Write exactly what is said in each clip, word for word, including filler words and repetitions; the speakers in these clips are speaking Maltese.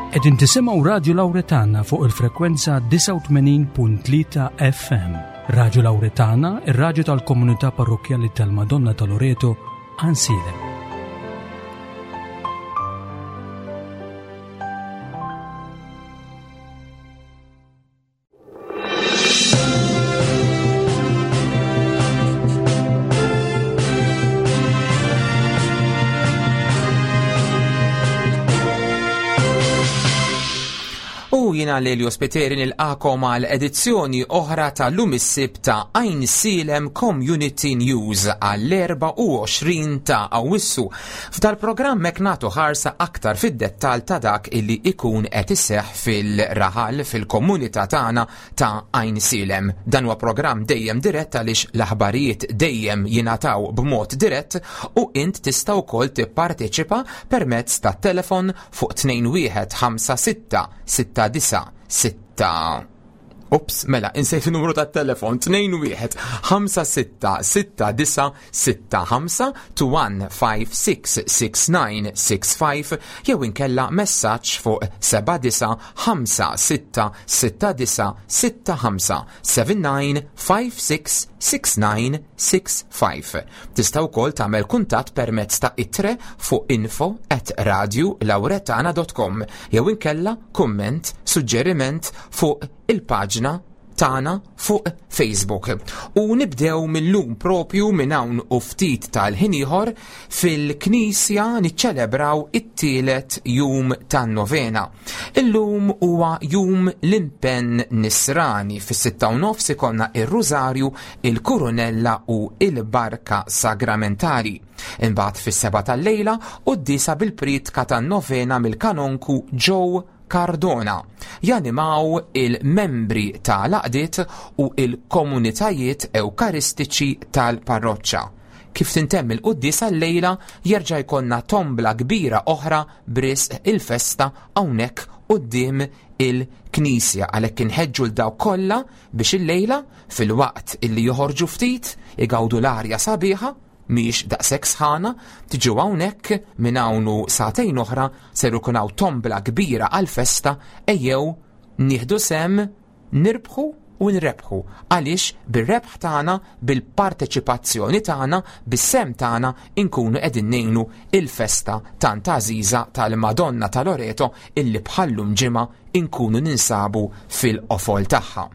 Qegħdin tisimgħu Radio Lauretana fuq il-frekwenza disgħa u tmenin punt tlieta F M. Radio Lauretana, ir-radju tal-komunità parrokjali tal-Madonna ta' Loreto, Għajnsielem. U jiena Lelio Spiteri nilqagħkom għal edizzjoni oħra ta' Lum is-Sibt ta' Għajnsielem Community News għall-erbgħa u għoxrin ta' Awwissu. F'dal-programm hekk nagħtu ħarsa aktar fid-dettal ta' dak illi ikun qed iseħħ fil-raħal, fil-komunità tagħna ta' Għajnsielem. Dan huwa programm dejjem dirett għaliex l-aħbarijiet dejjem jingħataw b'mod dirett u int tista' wkoll tipparteċipa permezz ta' telefon fuq tnejn wieħed ħamsa sitta sitta disa' sitta. Ups, mela, insejt il-numru ta' telefon tnejn wieħed ħamsa sitta sitta disa' sitta ħamsa, tnejn wieħed ħamsa sitta sitta disa' sitta ħamsa, jew inkella messaġġ fuq seba' disa' ħamsa sitta sitta disa' sitta ħamsa, seba' disa' ħamsa sitta sitta disa' sitta ħamsa. Tista' wkoll tagħmel kuntatt permezz ta' ittre fuq info at radiolauretana dot com jew inkella kumment, suġġeriment fuq il-paġna tagħna fuq Facebook. U nibdew mill-lum, propju minn hawn u ftit tal-ħin ieħor, fil-Knisja niċċelebraw it-tielet jum tan-novena. Illum huwa jum l-impenn nisrani. Fis-sitta u nofs ikollna ir-Rużarju, il-Kurunella u il-Barka Sagramentali. Imbagħad fis-seba' tal-lejla quddiesa bil-priedka tan-novena mill-kanonku Joe Cardona. Janimaw il-membri tal-għaqdiet u il-komunitajiet ewkaristiċi tal-parroċċa. Kif tintemm il-quddiesa l-lejla jerġa' jkollna tombla kbira oħra b'risq il-festa hawnhekk quddiem il-Knisja, għalhekk inħeġġu 'l dawk kollha biex il-lejla, fil-waqt illi joħorġu ftit igawdu l-arja sabiħa, mhix daqshekk sħana, tiġu hawnhekk. Minn hawn u sagħtejn oħra ser ikun hawn tombla kbira għal-festa. Ejjew nieħdu sehem, nirbħu u nrebħu, għaliex bir-rebħ tagħna, bil-parteċipazzjoni tagħna, bis-sehem tagħna inkunu qegħdin ngħinu il-festa tant għażiża tal-Madonna ta' Loreto illi bħallum ġimgħa inkunu ninsabu fil-qofol tagħha.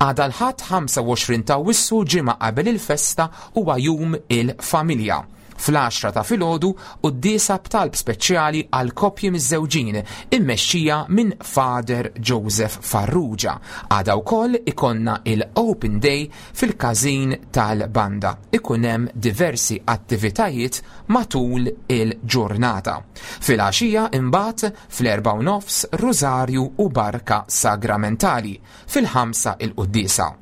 Għada l-Ħadd ħamsa u għoxrin ta' Awwissu, ġimgħa qabel il-festa, huwa jum il-familja. Fl-għaxra ta' filgħodu quddiesa b'talb speċjali għal koppji miżżewġin immexxija minn Father Joseph Farrugia. Għada wkoll ikollna il-Open Day fil-każin tal-banda. Ikun hemm diversi attivitajiet matul il-ġurnata. Fil-għaxija imbagħad fl-erba' u nofs Rużarju u Barka Sagramentali. Fil-ħamsa il-quddiesa.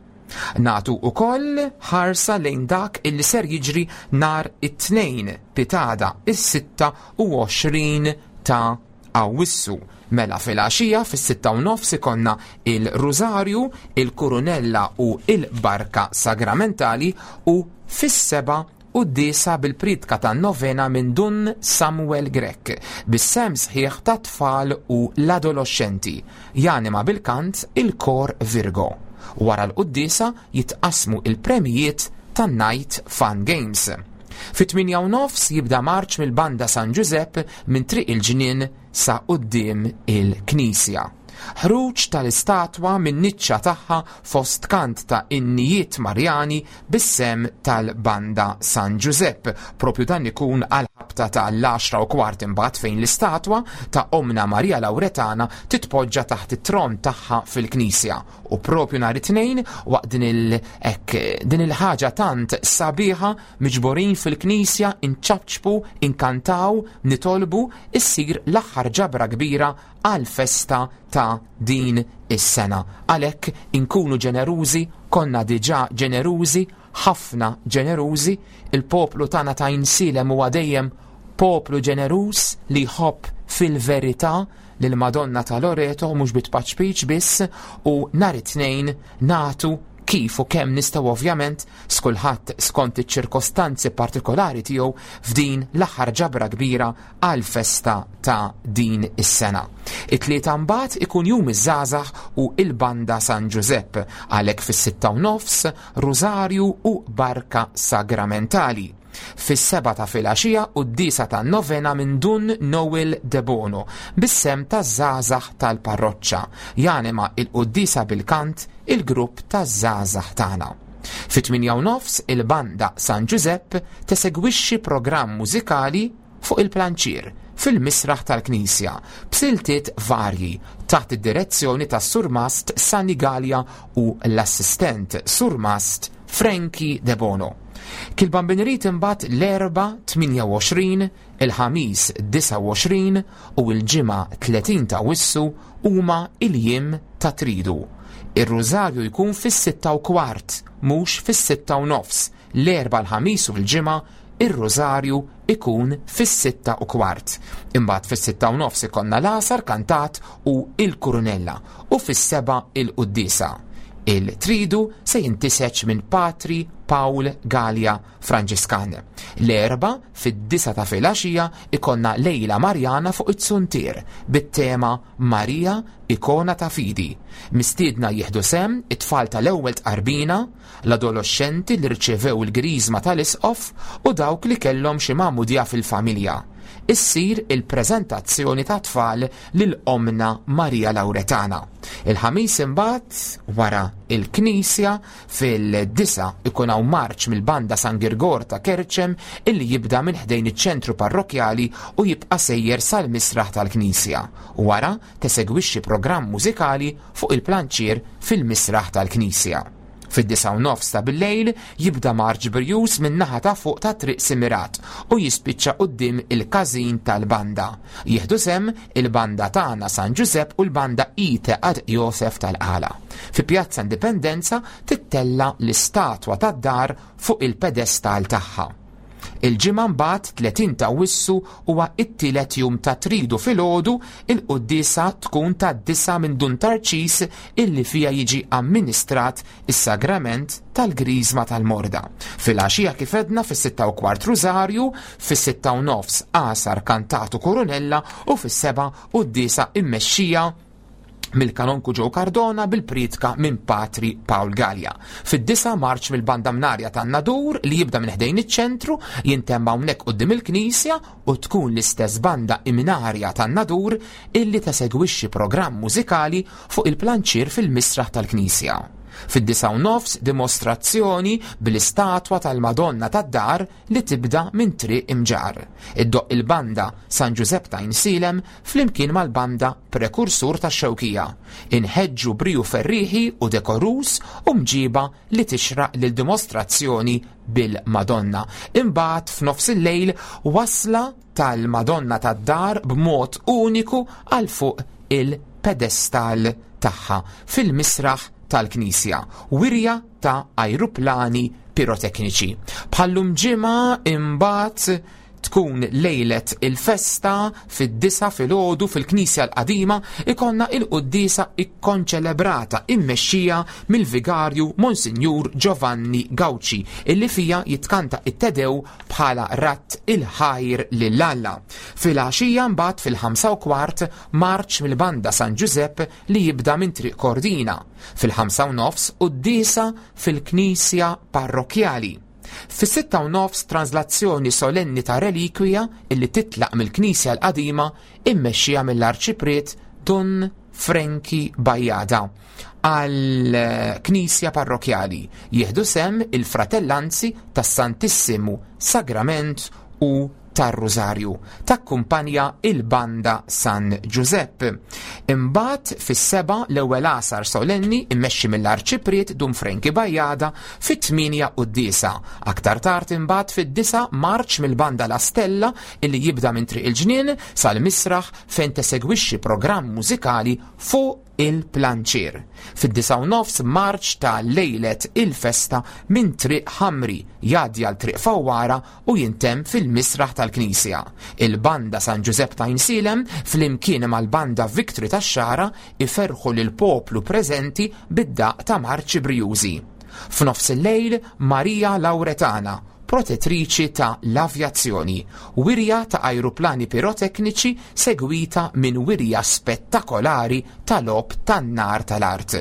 Nagħtu wkoll ħarsa lejn dak illi ser jiġri nhar it-Tnejn, pitgħada, is-sitta u għoxrin ta' Awwissu. Mela fil-għaxija fis-sitta u nofs ikollna il-Rużarju, il-Kurunella u il-Barka Sagramentali u fis-seba' quddiesa bil-priedka ta' novena minn Dun Samuel Grech, bis-sehem sħiħ ta' tfal u l-adolescenti. Janima bil-kant il-Kor Virgo. Wara l-quddiesa jitqasmu il-premijiet tan-Night Fun Games. Fit-tmienja u nofs jibda marċ mill-Banda San Giuseppe minn Triq il-Ġnien sa quddiem il-Knisja. Ħruġ tal-istatwa minn niċċa tagħha fost kant ta' innijiet Marjani bis-sehem tal-Banda San Giuseppe. Propju dan ikun għal ħabta ta' l-għaxra u kwart imbagħad, fejn l-istatwa ta' Omna Maria Lauretana titpoġġa taħt it-tron tagħha fil-Knisja. U propju nhar it-Tnejn, waqt din il ek, din il-ħaġa tant sabiħa, miġborin fil-Knisja, inċapċpu, inkantaw, nitolbu, issir l-aħħar ġabra kbira għal-festa ta' din is-sena. Għalhekk inkunu ġenerużi, konna diġà ġenerużi, ħafna ġenerużi, il-poplu tagħna ta' Għajnsielem huwa dejjem poplu ġeneruż li jħobb fil-verità lil Madonna ta' Loreto, mhux bit-tpaċpiċ biss, u nhar it-Tnejn nagħtu Kif u kemm nistgħu ovvjament skulħadd skont iċ-ċirkostanzi partikolari tiegħu f'din l-aħħar ġabra kbira għal festa ta' din is-sena. It-tlieta mbagħad ikun jum iż-żgħażagħ u il-Banda San Ġużepp, għalhekk fis-sitta u nofs Rużarju u Barka Sagramentali. Fis-seba ta' filgħaxija quddiesa ta' novena minn Dun Noel Debono bis-sehem taż-żgħażagħ tal-parroċċa. Janima il-quddiesa bil-kant il-grupp taż-żgħażagħ tagħna. Fit-tmienja u nofs il-Banda San Ġużepp tesegwixxi programm mużikali fuq il-planċier fil-misraħ tal-Knisja b'siltiet varji taħt id-direzzjoni tas Surmast Sani Gallia u l-assistent Surmast Frankie Debono. Kil-Bambin irid imbagħad l-Erbgħa tmienja u għoxrin, il-Ħamis disgħa u għoxrin u l-Ġimgħa tletin ta' Awwissu huma il-jiem ta' Tridu. Ir-Rużarju jkun fis-sitta u kwart, mhux fis-sitta u nofs. L-Erbgħa, l-Ħamis u l-Ġimgħa ir-Rużarju ikun fis-sitta u kwart. Imbagħad fis-sitta u nofs ikollna l-għasar kantat u il-kurunella u fis-seba' il-quddiesa. Il-tridu se jintiseċ minn Patri Paul Gallia Franġiskan. L-Erbgħa fid-disgħa ta' filgħaxija ikollna Lejla Marjana fuq it-Suntier bit-tema Marija Ikona ta' Fidi. Mistiedna jieħdu sehem it-tfal tal-ewwel tqarbina, l-adolescenti li rċevew il-griżma tal-isqof u dawk li kellhom xi magħmudija fil-familja. Issir il-preżentazzjoni ta' tfal lil Omna Marija Lauretana. Il-Ħamis imbagħad wara il-Knisja fid-disgħa ikun hawn marċ mill-Banda San Girgor ta' Kerċem illi jibda minn ħdejn iċ-ċentru parrokjali u jibqa' sejjer sal-misraħ tal-Knisja. Wara tesegwixxi programm mużikali fuq il-planċier fil-misraħ tal-Knisja. Fid-disgħa u nofs ta' bil-lejl jibda marċ brijuż minn naħa ta' fuq ta' Triq Simirat u jispiċċa quddiem il-każin tal-banda. Jieħdu sehem il-banda tagħna San Ġużepp u l-banda Ite ad Josef tal-Qala. Fi Pjazza Indipendenza tittella l-istatwa tad-dar fuq il-pedestal tagħha. Il-Ġimgħa mbagħad tletin ta' Awwissu huwa it-tielet jum ta' Tridu. Filgħodu il-quddiesa tkun ta' disgħa minn Dun Tarċis illi fija jiġi amministrat is-sagrament tal-Griżma tal-Morda. Filgħaxija kif għedna fis-sitta u kwart Rużarju, fis-sitta u nofs għasar kantatu kurunella u fis-seba' quddiesa immexxija mill-kanonku Joe Cardona bil-pritka minn Patri Paul Gallia. Fid-disgħa marċ mill-Banda Mnarja tan-Nadur li jibda minn ħdejn iċ-ċentru jintemm hawnhekk quddiem il-Knisja u tkun l-istess Banda Imnarja tan-Nadur illi tesegwixxi programm mużikali fuq il-planċier fil-misraħ tal-Knisja. Fid-disgħa u nofs dimostrazzjoni bil-istatwa tal-Madonna tad-Dar li tibda minn Triq Imġar. Iddoqq il-Banda San Ġużepp ta' Għajnsielem flimkien mal-Banda Prekursur ta' Xewkija. Inħeġġu briju ferriħi u dekorus u mġiba li tixraq lil dimostrazzjoni bil-Madonna. Imbagħad f'nofs il-lejl wasla tal-Madonna tad-Dar b'mod uniku għal fuq il-pedestal tagħha fil-misraħ tal-Knisja. Wirja ta' ajruplani pirotekniċi. Bħal-lum ġimgħa imbagħad tkun lejlet il-festa. Fid-disgħa filgħodu fil-Knisja l-Qadima ikollna il-quddiesa ikkonċelebrata immexxija mill-Vigarju Monsinjur Giovanni Gauci illi fija jitkanta it-Te Deum bħala radd il-ħajr lil Alla. Filgħaxija mbagħad fil-ħamsa u kwart marċ mill-Banda San Ġużepp li jibda minn Triq Kordina. Fil-ħamsa u nofs quddiesa fil-Knisja Parrokjali. Fis-sitta u nofs translazzjoni solenni ta' relikwija illi titlaq mill-Knisja l-Qadima immexxija mill-Arċipriet Dun Franki Bajada għal Knisja Parrokjali. Jieħdu sehem il-Fratellanzi tas-Santissimu Sagrament u tar-Rużarju. Takkumpanja il-Banda San Ġużepp. Imbagħad fis-seba' l-ewwel għasar solenni immexxi mill-Arċipriet Dun Franki Bajada, fit-tmienja quddiesa. Aktar tard imbagħad fid-disgħa marċ mill-Banda La Stella illi jibda minn Triq il-Ġnien sal-misraħ fejn tesegwixxi programm mużikali fuq il-planċier. Fid-disgħa u nofs marċ ta' lejlet il-festa minn Triq Ħamri jgħaddi għal Triq Fawwara u jintemm fil-misraħ tal-Knisja. Il-Banda San Ġużepp ta' Għajnsielem flimkien mal-Banda Victory tax-Xagħra iferħu lil poplu preżenti bid-daq ta' marċi brijużi. F'nofs il-lejl Marija Lauretana, protettriċi ta' l-avjazzjoni, wirja ta' ajruplani pirotekniċi segwita minn wirja spettakolari tal-logħob tan-nar tal-art.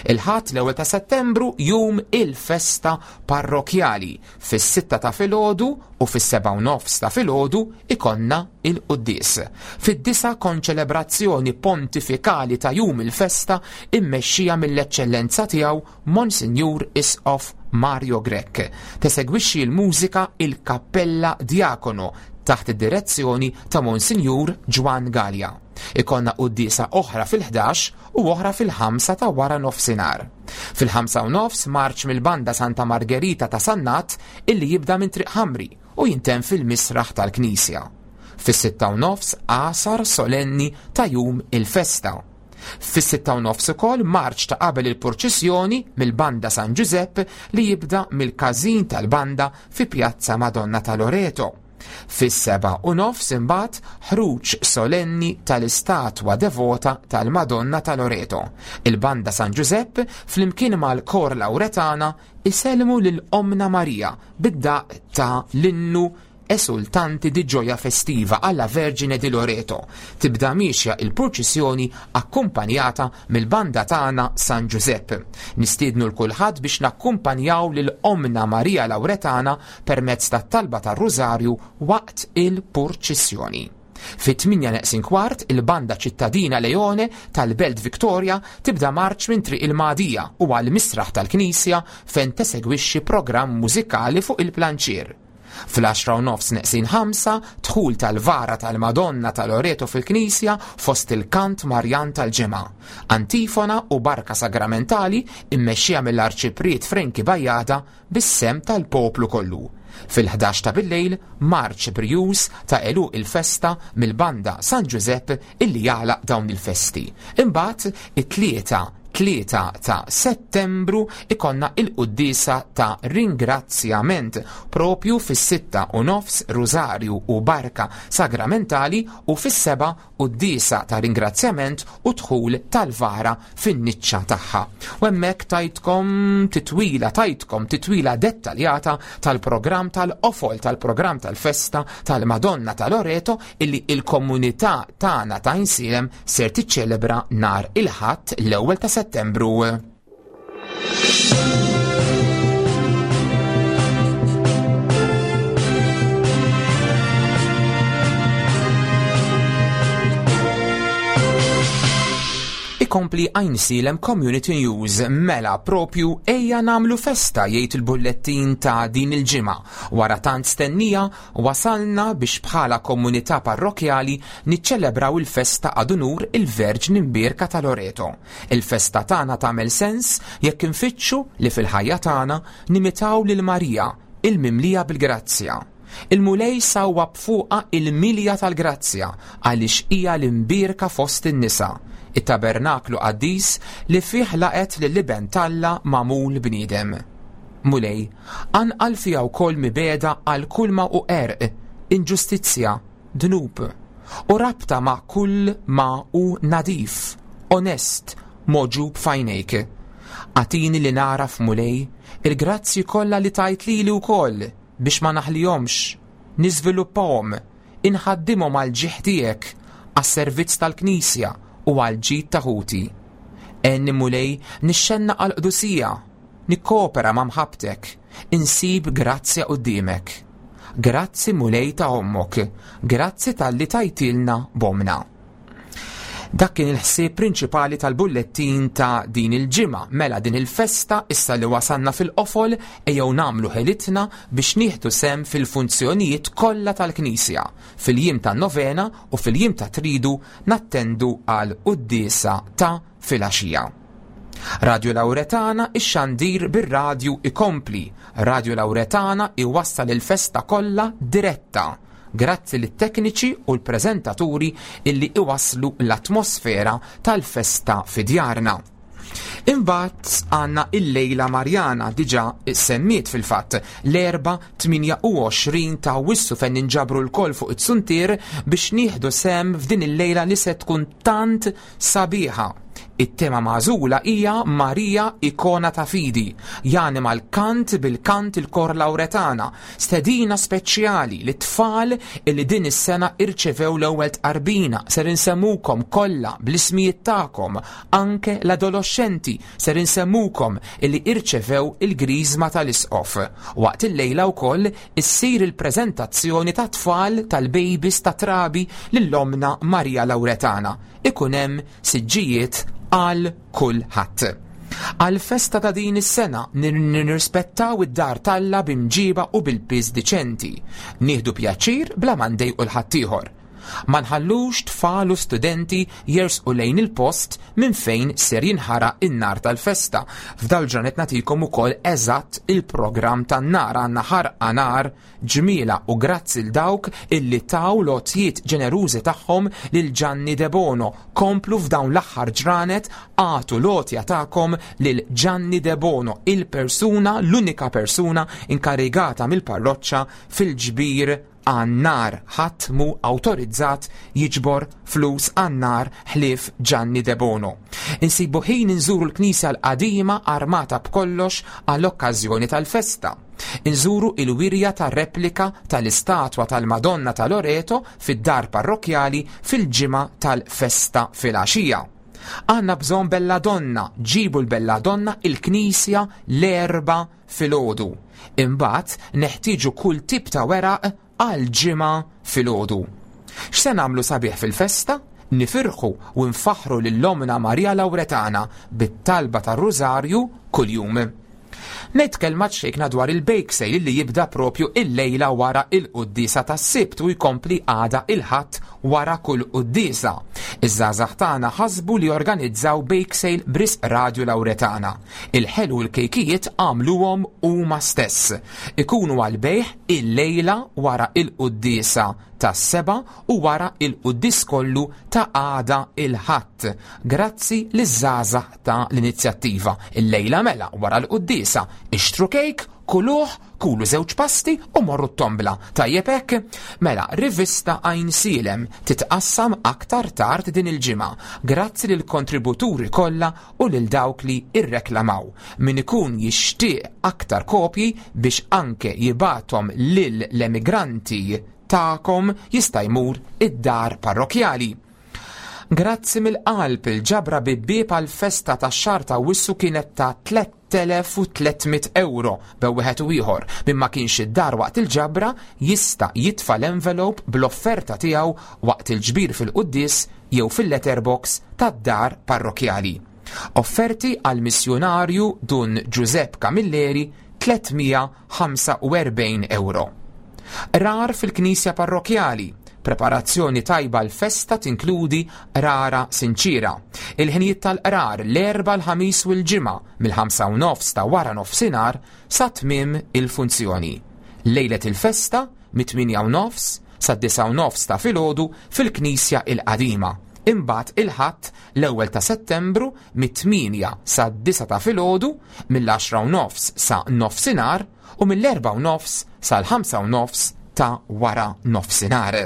Il-Ħadd l-ewwel ta' Settembru jum il-festa parrokjali. Fis-sitta ta' filgħodu u fis-sebgħa u nofs ta' filgħodu ikonna il-quddies. Fid-disa konċelebrazzjoni pontifikali ta' jum il-festa immexxija mill-eċċellenza tiegħu Monsinjur Isqof Mario Grech. Tesegwixxi l-mużika il-Kappella Diakono taħt id-direzzjoni ta' Monsinjur Ġwan Gallia. Ikonna quddiesa oħra fil-ħdax u oħra fil-ħamsa ta' wara nofsinhar. Fil-ħamsa u nofs marċ mill-banda Santa Margherita ta' Sannat illi jibda minn Triq Ħamri u jintemm fil-misraħ tal-Knisja. Fis-sitta u nofs għasar solenni ta' jum il-festa. Fis-sitta u nofs ukoll marċ ta' qabel il-purċissjoni mill-banda San Giuseppe li jibda mill-każin tal-banda fi Pjazza Madonna ta' Loreto. Fis-seba' u nofs imbagħad ħruġ solenni tal-istatwa devota tal-Madonna ta' Loreto. Il-banda San Giuseppe flimkien mal-Kor Lauretana isellmu lil Omna Marija bid-daq ta' l-innu esultanti di gioia festiva alla Vergine di Loreto. Tibda miexja il-purċissjoni akkumpanjata mill-banda tagħna San Giuseppe. Nistiednu l kulħadd biex nakkumpanjaw lil Omna Marija Lauretana permezz tat-talba tar-Rużarju waqt il-purċissjoni. Fit-tminja neqsin kwart il-banda ċittadina Leone tal-Belt Victoria tibda marċ minn Triq il-Madija u għal misraħ tal-Knisja fejn tesegwixxi programm mużikali fuq il-planċier. Fl-għaxra u nofs neqsin ħamsa dħul tal-vara tal-Madonna ta' Loreto fil-Knisja fost il-kant Marjan tal-Ġemgħa. Antifona u barka sagramentali immexxija mill-Arċipriet Frenki Bajada bis-sem tal-poplu kollu. Fil-ħdax ta' billejl marċ brijuż ta' għeluq il-festa mill-banda San Giuseppe illi jagħlaq dawn il-festi. Imbagħad it-tlieta tlieta ta' Settembru ikonna il-quddiesa ta' ringrazzjament propju fis-sitta u nofs Rużarju u barka sagramentali u fis-seba' quddiesa ta' ringrazzjament u dħul tal-vara fin-niċċa tagħha. U hemmhekk tajtkom titwila tajtkom titwila dettaljata tal-programm tal-qofol tal-programm tal-festa tal-Madonna ta' Loreto illi il-komunità tagħna ta' Għajnsielem ser tiċċelebra nhar il-Ħadd l-ewwel ta' Settembru. Ikompli Għajnsielem Community News mela propju ejja namlu festa jgħid il-bullettin ta' din il-ġimgħa. Wara tant stennija wasalna biex bħala komunità parrokjali niċċelebraw il-festa ad unur il-Verġni Mbierka ta' Loreto. Il-festa tagħna tagħmel sens jekk infittxu li fil-ħajja tagħna nimitaw lil Marija il-mimlija bil-grazzja. Il-Mulej sawwab fuqha il-milja tal-grazzja għaliex hija l-imbierka fost in-nisa, it-tabernaklu qaddis li fih laqet lill-Iben t'Alla magħmul bniedem. Mulej, anqal fiha wkoll mibeda għal kull ma hu qerq, inġustizzja, dnub, u rabta ma' kull ma hu nadif, onest, mogħġub f'għajnejk. Agħtini li naraf, Mulej, il-grazzji kollha li tajt lili wkoll biex ma naħlihomx, niżviluppahom, inħaddimhom għal ġieħ tiegħek, għas-servizz tal-Knisja u għal ġid ta' ħuti. Għenni Mulej nixxenna għal qdusija, nikkopera ma' mħabbtek, insib grazzja quddiemek. Grazzi Mulej ta' ommok, grazzi talli tajtilna b'omna. Dak kien il-ħsieb prinċipali tal-bullettin ta' din il-ġimgħa. Mela din il-festa issa li wasalna fil-qofol ejjew nagħmlu ħelitna biex nieħdu sem fil-funzjonijiet kollha tal-Knisja. Fil-jiem tan-novena u fil-jiem ta' tridu nattendu għal quddiesa ta' filgħaxija. Radio Lauretana ix-xandir bir-radju ikompli. Radio Lauretana iwassal il-festa kollha diretta. Grazzi lit-tekniċi u l-preżentaturi illi iwasslu l-atmosfera tal-festa fi djarna. Imbagħad għandna il-Lejla Marjana diġà semmiet fil-fatt l-Erbgħa tmienja u għoxrin ta' Awwissu fejn ninġabru lkoll fuq it-suntier biex nieħdu sem f'din il-lejla li se tkun tant sabiħa. It-tema magħżula hija Marija Ikona ta' Fidi. Janima l-kant bil-kant il-Kor Lawretana. Stedina speċjali li tfal illi din is-sena irċevew l-ewwel tqarbina. Ser insemmukom kollha bl-ismijiet tagħkom, anke l-adolescenti ser insemmukom illi irċevew il-griżma tal-isqof. Waqt il-lejla wkoll issir il-preżentazzjoni ta' tfal tal-babies ta' trabi lill-omna Marija Lawretana. Ikun hemm siġġijiet għal kulħadd. Għal-festa ta' din is-sena nirrispettaw id-dar talla b'imġiba u bil-piż diċenti. Nieħdu pjaċir bla ma ndejqu l-ħaddieħor. Ma nħallux tfal u studenti jersqu lejn il-post minn fejn ser jinħaraq in-nar tal-festa. F'dal ġranet nagħtikom ukoll eżatt il-programm tan-nar. Għandna ħarqa nar ġmiela u grazzi l dawk illi taw lotjiet ġenerużi tagħhom lil Gianni Debono. Komplu f'dawn l-aħħar ġranet għatu lotja tagħkom lil Gianni Debono, il-persuna, l-unika persuna inkarigata mill-parroċċa fil-ġbir għan-nar. Ħadd mhu awtorizzat jiġbor flus għan-nar ħlief Gianni Debono. Insibu ħin inżuru l-Knisja l-qadima armata b'kollox għall-okkażjoni tal-festa. Inżuru il-wirja ta' replika tal-istatwa tal-Madonna ta' Loreto fid-dar parrokjali fil-ġimgħa tal-festa fil-għaxija. Għanna bżonn Belladonna, ġibu l-Belladonna il-Knisja l-Erbgħa filgħodu. Imbagħad neħtieġu kull tip ta' weraq għal ġimgħa filgħodu. X'se nagħmlu sabiħ fil-festa? Nifirħu u nfaħħru lil Omna Marija Lawretana bit-talba tar-Rużarju kuljum. Ngħid kelma ċejkna dwar il-bake sale li jibda propju il-lejla wara il-quddiesa tas-Sibt u jkompli għada il-Ħadd wara kull quddiesa. Iż-żgħażagħ tagħna ħasbu li organizzaw bake sale b'risq Radju Lawretana. Il-ħelu u l-kejkijiet għamluhom huma stess. Ikunu għal-bejħ il-lejla wara il-quddiesa tas-seba u wara il-quddies kollu ta' għada il-Ħadd. Grazzi liż-żgħażagħ ta' l-inizjattiva. Il-lejla mela wara l-quddiesa ixtru kejk, kuluh, kulu żewġ pasti u morru t-tombla. Tajjeb hekk? Mela, rivista Għajnsielem titqassam aktar tard din il-ġimgħa. Grazzi lil kontributuri kollha u lil dawk li irreklamaw. Min ikun jixtieq aktar kopji biex anke jibatom lil l-emigranti tagħkom jista' jmur id-dar parrokjali. Grazzi mill-qalb il-ġabra bibbieb għal-festa tax-xahar ta' Wissu kienet ta' tliet elef u tliet mitt euro bew wieħed u ieħor. Min ma kienx id-dar waqt il-ġabra jista' jitfa' l-envelope bl-offerta tiegħu waqt il-ġbir fil-quddies jew fil-letterbox tad-dar parrokjali. Offerti għal missjunarju Dun Giuseppe Camilleri tliet mija ħamsa u erbgħin euro. Rar fil-Knisja Parrokjali. Preparazzjoni tajba l-festa tinkludi rara sinċira. Il-ħinijiet tal-qrar l-Erbgħa, l-Ħamis u l-Ġimgħa mill-ħamsa u nofs ta' wara nofsinhar sa tmiem il-funzjoni. Lejlet il-festa mit-tmienja u nofs sa disa u nofs ta' filgħodu fil-Knisja il-Qadima. Imbagħad il-Ħadd l-ewwel ta' Settembru mit-tmienja sa disa ta' filgħodu, mill-għaxra u nofs sa nofsinhar u mill-erbgħa u nofs sal-ħamsa u nofs ta' wara nofsinhar.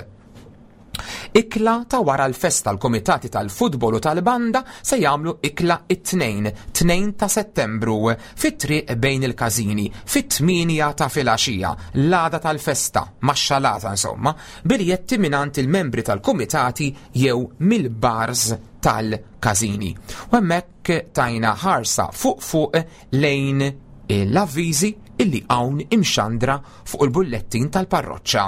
Ikla ta' wara l-festa l-komitati tal-futbol u tal-banda se jagħmlu ikla it-tnejn, tnejn ta' Settembru, fit-triq bejn il-każini, fit-tmienja ta' filgħaxija, l-għada tal-festa, max-xalata insomma, biljetti mingħand il-membri tal-komitati jew mill-bars tal-każini. U hemmhekk tajna ħarsa fuq fuq lejn l-avviżi illi hawn imxandra fuq il-bullettin tal-parroċċa.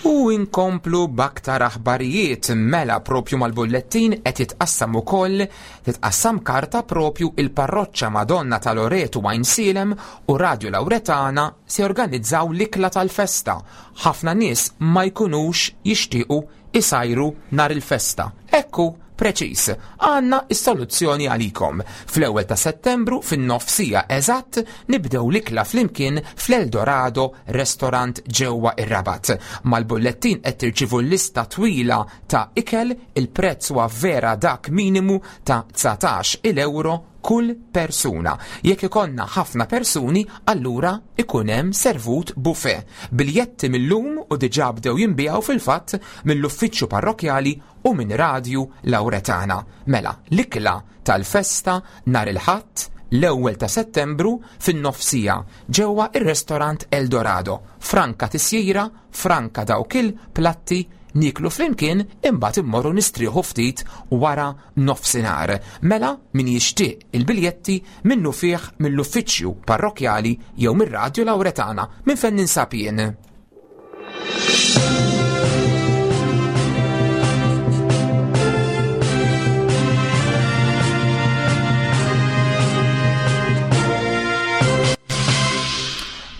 U inkomplu b'aktar aħbarijiet mela propju mal-bullettin qed jitqassam ukoll titqassam karta propju il-parroċċa Madonna ta' Loreto Għajnsielem u Radju Lawretana se jorganizzaw l-ikla tal-festa. Ħafna nies ma jkunux jixtiequ isajru nhar il-festa. Ekku preċis, għandna s-soluzzjoni għalikom. Fl-ewwel ta' Settembru fin-nofsija eżatt nibdew l-ikla flimkien fl-Eldorado Restaurant ġewwa ir-Rabat. Mal-bullettin qed tirċivu lista twila ta' ikel, il-prezz huwa vera dak minimu ta' dsatax il-euro kull persuna. Jekk ikollna ħafna persuni, allura ikun hemm servut buffet. Biljetti mill-lum u diġà bdew jinbiegħu fil-fatt mill-uffiċċju parrokjali u minn Radju Lawretana. Mela, l-ikla tal-festa nhar il-Ħadd l-ewwel ta' Settembru fin-nofsija ġewwa ir-restorant Eldorado. Franka tisjira, franka dawk il-platti, niklu flimkien imbagħad immorru nistrieħu ftit wara nofsinhar. Mela min jixtieq il-biljetti minnu fih mill-uffiċċju parrokjali jew mir-Radju Lawretana minn fejn ninsab jien.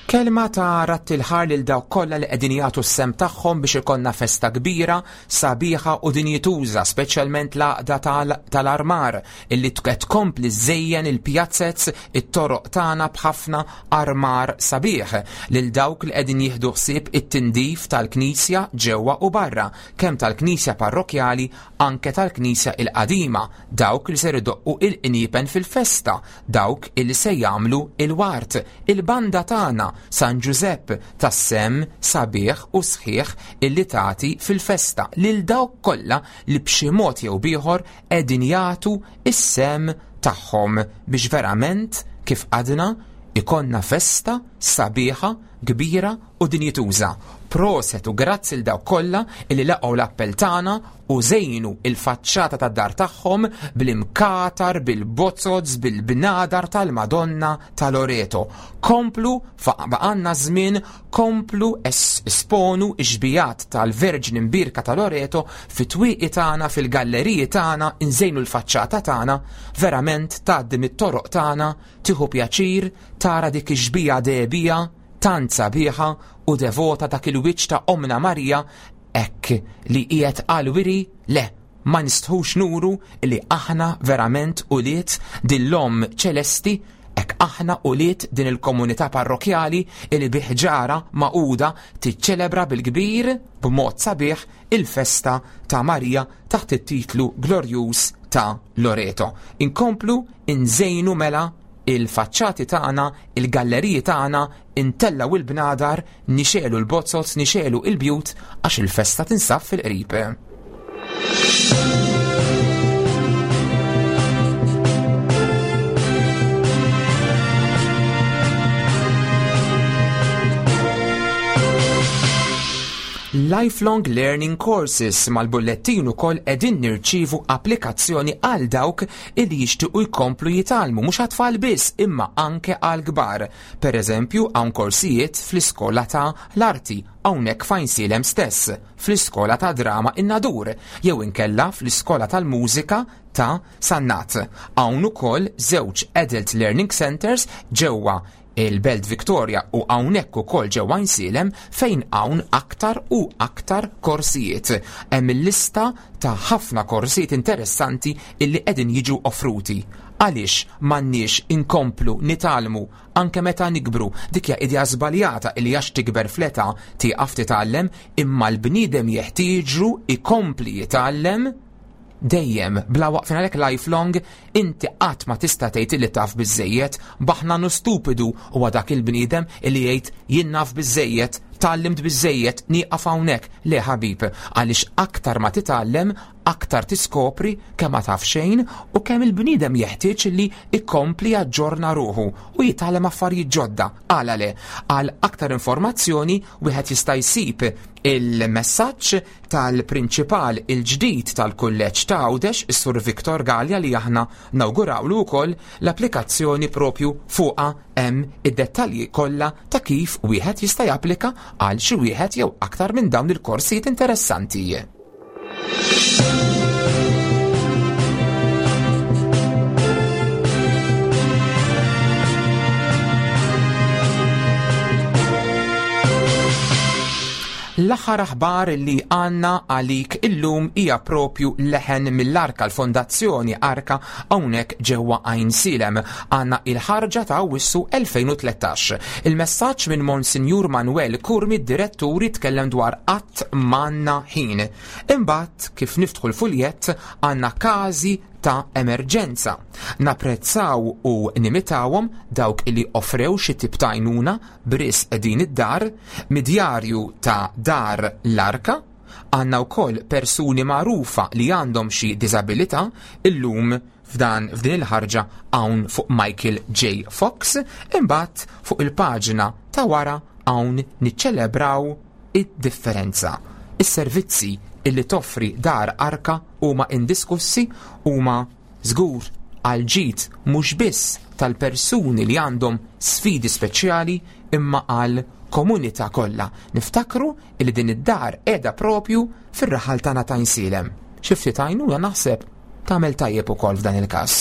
Kelma ta' ratt il-ħar lil dawk kollha li qegħdin jagħtu s-sem tagħhom biex ikollna festa kbira, sabiħa u dinjituża, speċjalment l-għaqda tal-armar illi qed tkompli żejjen il-pjazzez it-toroq tagħna b'ħafna armar sabiħ, lil dawk li qegħdin jieħdu ħsieb it-tindif tal-knisja ġewwa u barra, kemm tal-knisja parrokjali anke tal-knisja il-qadima, dawk li ser idoqqu il-qniepen fil-festa, dawk illi se jagħmlu il-wart, il-banda tagħna San Giuseppe tas-sem sabiħ u sħiħ illi tagħti fil-festa, lil dawk kollha li b'xi mod jew bieħor qegħdin jagħtu is-sem tagħhom biex verament kif għadna ikonna festa sabiħa, kbira u dinjituża. Proset u grazzi l dawk kollha illi laqgħu l-appell tagħna u żejnu il-faċċata tad-dar tagħhom bl-imkatar, bil-bozzozz, bil-bnadar tal-Madonna ta' Loreto. Komplu, baqanna żmien, komplu esponu x-xbijat tal-Verġni Mbirka ta' Loreto fit-twieqi tagħna, fil-galleriji tagħna, inżejnu l-faċċata tagħna, verament tgħaddi mit-toroq tagħna, tieħu pjaċir tara dik ix-xbija dehbija tant sabiħa u devota dak il-wiċċ ta' Omna Marija, hekk li qiegħed għal-wiri, le, ma nistħux nuru li aħna verament ulied din l-Omm ċelesti, hekk aħna ulied din il-komunità parrokjali li bi ħġara maquda tiċċelebra bil-kbir b'mod sabiħ il-festa ta' Marija taħt it-titlu glorjuż ta' Loreto. Inkomplu inżejnu mela il-faċċati tagħna, il-galleriji tagħna, intellaw il-bnadar, nixelu l-bozzozz, nixelu il-bjut għax il-festa tinsab fil-qrib. Lifelong Learning Courses mal-bullettin ukoll qegħdin nirċievu applikazzjoni għal dawk illi jixtiequ jkomplu jitgħallmu mhux għat-tfal biss imma anke għal kbar. Per eżempju hawn korsijiet fl-iskola ta' l-arti hawnhekk f'Għajnsielem stess, fl-iskola ta' drama in-Nadur, jew inkella fl-iskola tal-mużika ta' Sannat. Hawn ukoll żewġ Adult Learning Centers ġewwa il-Belt Victoria u hawnhekk ukoll ġewwa Għajnsielem fejn hawn aktar u aktar korsijiet. Hemm il-lista ta' ħafna korsijiet interessanti illi qegħdin jiġu offruti. Għaliex m'għandniex inkomplu nitgħallmu anke meta nikbru? Dik hija idea żbaljata illi għax tikber fl-età tieqaf titgħallem, imma l-bniedem jeħtieġu ikompli jitgħallem dejjem bla waqfin. Għalhekk lifelong inti qatt ma tista' tgħid li taf biżżejjed, baħnanu stupidu huwa dak il-bniedem illi jgħid jien naf biżżejjed, tgħallimt biżżejjed, nieqaf hawnhekk. Le ħabib, għaliex aktar ma titgħallem, aktar tiskopri kemm ma taf xejn u kemm il-bniedem jeħtieġ li jkompli jaġġorna ruħu u jitgħallem affarijiet ġodda. Għala le, għal aktar informazzjoni wieħed jista' jsib il-messaġġ tal-prinċipal il-ġdid tal-kulleġġ ta' Għawdex, is-Sur Viktor Gallia, li aħna nawgurawlu wkoll l-applikazzjoni propju fuqha hemm id-dettalji kollha ta' kif wieħed jista' japplika għal xi wieħed jew aktar minn dawn il-korsijiet interessanti. L-aħħar aħbar li għandna għalik illum hija propju leħen mill-Arka, l-Fondazzjoni Arka hawnhekk ġewwa Għajnsielem. Għandna il-ħarġa ta' Awwissu elfejn u tlettax. Il-messaġġ minn Monsinjur Manuel Curmi, direttur, jitkellem dwar qatt m'għandna ħin. Imbagħad kif niftħu l-fuljett għandna każi ta' emerġenza. Napprezzaw u nimitawhom dawk li offrew xi tip ta' għajnuna b'risq din id-dar, midjarju ta' Dar l-Arka, għandna wkoll persuni magħrufa li għandhom xi diżabilità illum f'dan f'din il-ħarġa hawn fuq Michael J. Fox, imbagħad fuq il-paġna ta' wara hawn niċċelebraw id-differenza. Is-servizzi illi toffri Dar Arka huma indiskussi, huma żgur għal ġid mhux biss tal-persuni li għandhom sfidi speċjali imma għal komunità kollha. Niftakru illi din id-dar qiegħda propju fir-raħal tagħna ta' Għajnsielem. Xi ftit għajnuna naħseb tagħmel tajjeb ukoll f'dan il-każ.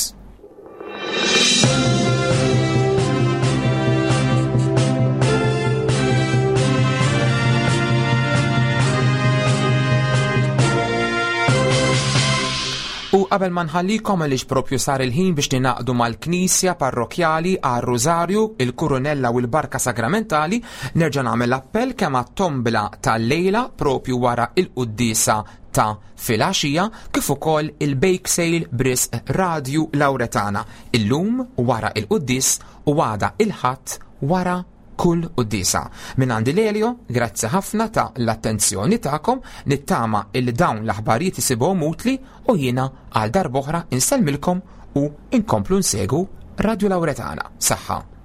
U qabel ma nħallikom għaliex propju sar il-ħin biex ninaqdu mal-Knisja Parrokjali għar-Rużarju, il-Kurunella u l-Barka Sagramentali, nerġa' nagħmel appell kemm għat-tombla tal-lejla propju wara il-quddiesa ta' filgħaxija, kif ukoll il-bake sale b'risq Radju Lawretana illum wara il-quddies u għada il-Ħadd wara kull quddiesa. Min għandi Lelio, grazzi ħafna ta' l-attenzjoni tagħkom, nittama il dawn l-aħbarijiet isibhom utli u jiena għal darb'oħra insellmilkom u inkomplu nsegu Radju Lawretana. Saħħa.